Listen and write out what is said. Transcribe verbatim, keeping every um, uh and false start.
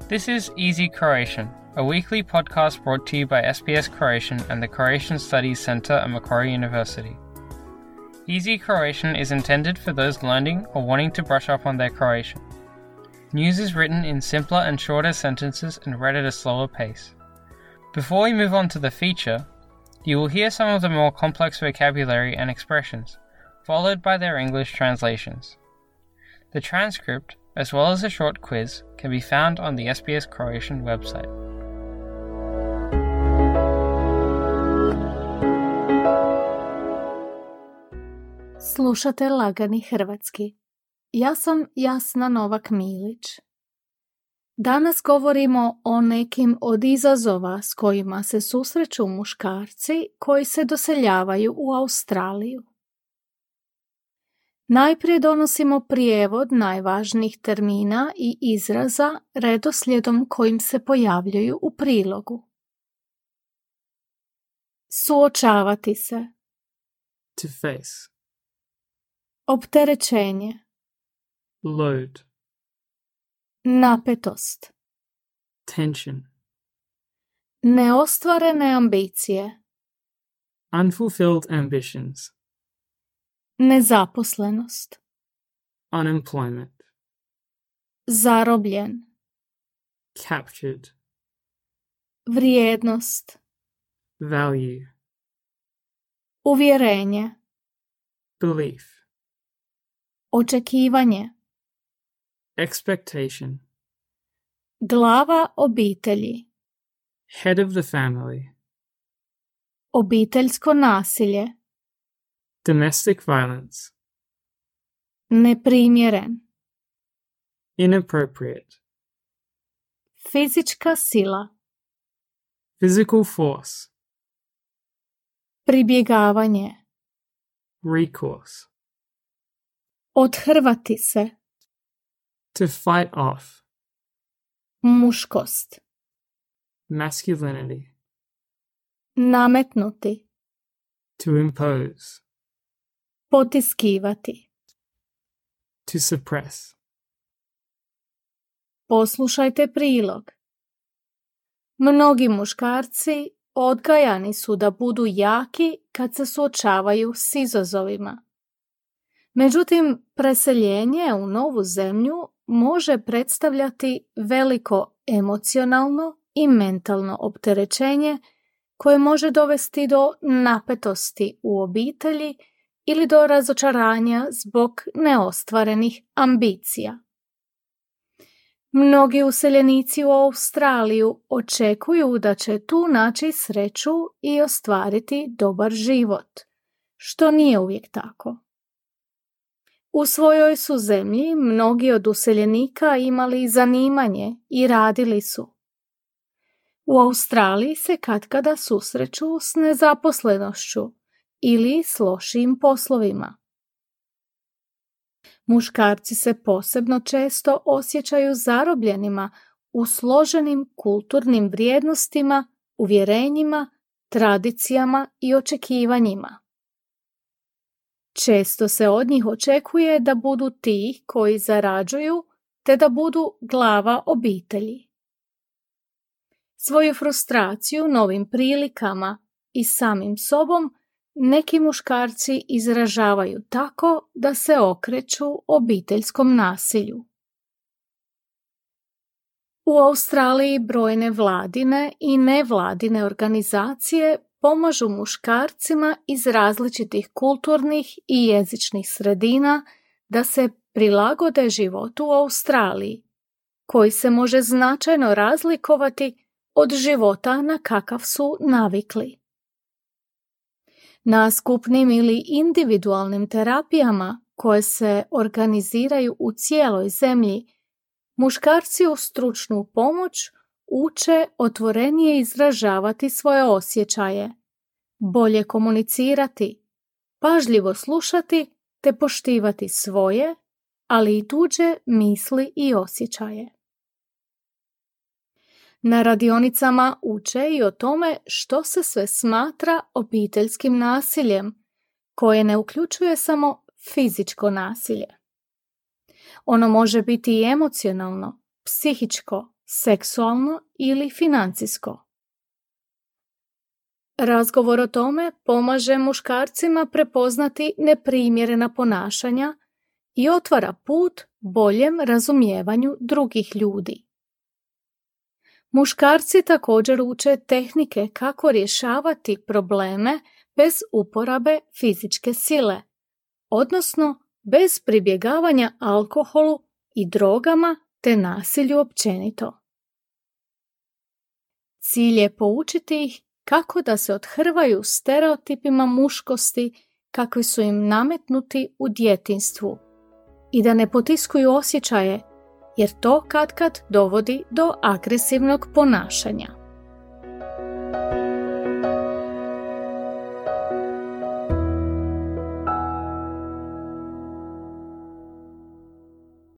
This is Easy Croatian, a weekly podcast brought to you by S B S Croatian and the Croatian Studies Centre at Macquarie University. Easy Croatian is intended for those learning or wanting to brush up on their Croatian. News is written in simpler and shorter sentences and read at a slower pace. Before we move on to the feature, you will hear some of the more complex vocabulary and expressions, followed by their English translations. The transcript, as well as a short quiz, can be found on the S B S Croatian website. Slušate Lagani hrvatski. Ja sam Jasna Novak-Milić. Danas govorimo o nekim od izazova s kojima se susreću muškarci koji se doseljavaju u Australiju. Najprije donosimo prijevod najvažnijih termina i izraza redoslijedom kojim se pojavljuju u prilogu. Suočavati se. To face. Opterećenje. Load. Napetost. Tension. Neostvarene ambicije. Unfulfilled ambitions. Nezaposlenost. Unemployment. Zarobljen. Captured. Vrijednost. Value. Uvjerenje. Belief. Očekivanje. Expectation. Glava obitelji. Head of the family. Obiteljsko nasilje. Domestic violence. Neprimjeren. Inappropriate. Fizička sila. Physical force. Pribjegavanje. Recourse. Othrvati se. To fight off. Muškost. Masculinity. Nametnuti. To impose. Potiskivati. To suppress. Poslušajte prilog. Mnogi muškarci odgajani su da budu jaki kad se suočavaju s izazovima. Međutim, preseljenje u novu zemlju može predstavljati veliko emocionalno i mentalno opterećenje koje može dovesti do napetosti u obitelji ili do razočaranja zbog neostvarenih ambicija. Mnogi useljenici u Australiju očekuju da će tu naći sreću i ostvariti dobar život, što nije uvijek tako. U svojoj su zemlji mnogi od useljenika imali zanimanje i radili su. U Australiji se katkada susreću s nezaposlenošću ili s lošijim poslovima. Muškarci se posebno često osjećaju zarobljenima u složenim kulturnim vrijednostima, uvjerenjima, tradicijama i očekivanjima. Često se od njih očekuje da budu ti koji zarađuju, te da budu glava obitelji. Svoju frustraciju novim prilikama i samim sobom neki muškarci izražavaju tako da se okreću obiteljskom nasilju. U Australiji brojne vladine i nevladine organizacije pomažu muškarcima iz različitih kulturnih i jezičnih sredina da se prilagode životu u Australiji, koji se može značajno razlikovati od života na kakav su navikli. Na skupnim ili individualnim terapijama koje se organiziraju u cijeloj zemlji, muškarci uz stručnu pomoć uče otvorenije izražavati svoje osjećaje, bolje komunicirati, pažljivo slušati te poštivati svoje, ali i tuđe misli i osjećaje. Na radionicama uče i o tome što se sve smatra obiteljskim nasiljem, koje ne uključuje samo fizičko nasilje. Ono može biti i emocionalno, psihičko, seksualno ili financijsko. Razgovor o tome pomaže muškarcima prepoznati neprimjerena ponašanja i otvara put boljem razumijevanju drugih ljudi. Muškarci također uče tehnike kako rješavati probleme bez uporabe fizičke sile, odnosno bez pribjegavanja alkoholu i drogama te nasilju općenito. Cilj je poučiti ih kako da se othrvaju stereotipima muškosti kakvi su im nametnuti u djetinjstvu i da ne potiskuju osjećaje, jer to katkad dovodi do agresivnog ponašanja.